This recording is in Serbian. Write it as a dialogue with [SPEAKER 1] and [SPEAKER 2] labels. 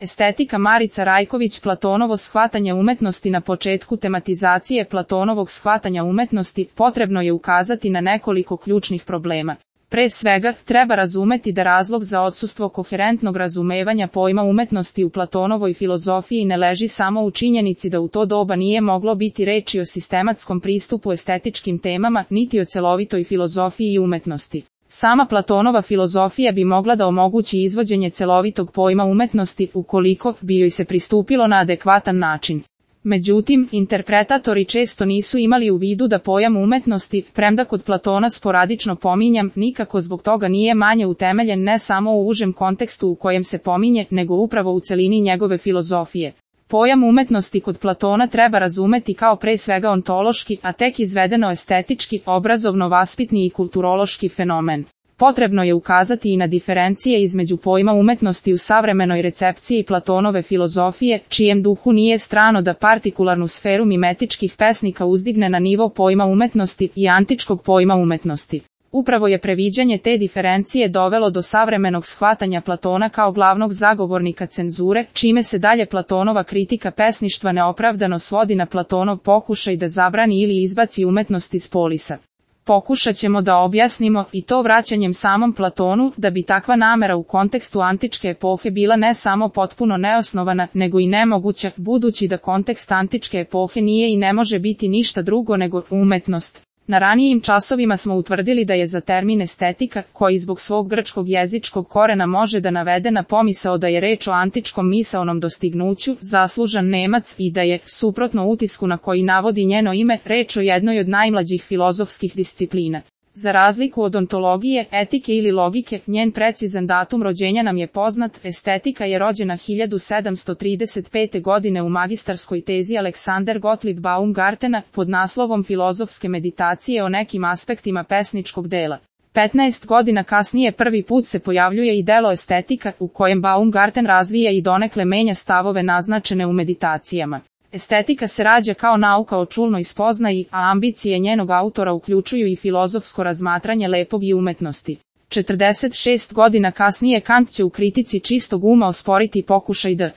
[SPEAKER 1] Estetika Marica Rajković. Platonovo shvatanje umetnosti. Na početku tematizacije Platonovog shvatanja umetnosti potrebno je ukazati na nekoliko ključnih problema. Pre svega, treba razumeti da razlog za odsustvo koherentnog razumevanja pojma umetnosti u Platonovoj filozofiji ne leži samo u činjenici da u to doba nije moglo biti reči o sistematskom pristupu estetičkim temama, niti o celovitoj filozofiji umetnosti. Sama Platonova filozofija bi mogla da omogući izvođenje celovitog pojma umetnosti ukoliko bi joj se pristupilo na adekvatan način. Međutim, interpretatori često nisu imali u vidu da pojam umetnosti, premda kod Platona sporadično pominjam, nikako zbog toga nije manje utemeljen ne samo u užem kontekstu u kojem se pominje, nego upravo u celini njegove filozofije. Pojam umetnosti kod Platona treba razumeti kao pre svega ontološki, a tek izvedeno estetički, obrazovno-vaspitni i kulturološki fenomen. Potrebno je ukazati i na diferencije između pojma umetnosti u savremenoj recepciji Platonove filozofije, čijem duhu nije strano da partikularnu sferu mimetičkih pesnika uzdigne na nivo pojma umetnosti i antičkog pojma umetnosti. Upravo je previđanje te diferencije dovelo do savremenog shvatanja Platona kao glavnog zagovornika cenzure, čime se dalje Platonova kritika pesništva neopravdano svodi na Platonov pokušaj da zabrani ili izbaci umetnost iz polisa. Pokušat ćemo da objasnimo, i to vraćanjem samom Platonu, da bi takva namera u kontekstu antičke epohe bila ne samo potpuno neosnovana, nego i nemoguća, budući da kontekst antičke epohe nije i ne može biti ništa drugo nego umetnost. Na ranijim časovima smo utvrdili da je za termin estetika, koji zbog svog grčkog jezičkog korena može da navede na pomisao da je reč o antičkom misaonom dostignuću, zaslužan Nemac i da je, suprotno utisku na koji navodi njeno ime, reč o jednoj od najmlađih filozofskih disciplina. Za razliku od ontologije, etike ili logike, njen precizan datum rođenja nam je poznat. Estetika je rođena 1735. godine u magistarskoj tezi Alexander Gottlieb Baumgartena pod naslovom Filozofske meditacije o nekim aspektima pesničkog dela. 15 godina kasnije prvi put se pojavljuje i delo Estetika, u kojem Baumgarten razvija i donekle menja stavove naznačene u meditacijama. Estetika se rađa kao nauka o čulnoj spoznaji, a ambicije njenog autora uključuju i filozofsko razmatranje lepog i umetnosti. 46 godina kasnije Kant će u kritici čistog uma osporiti pokušaj da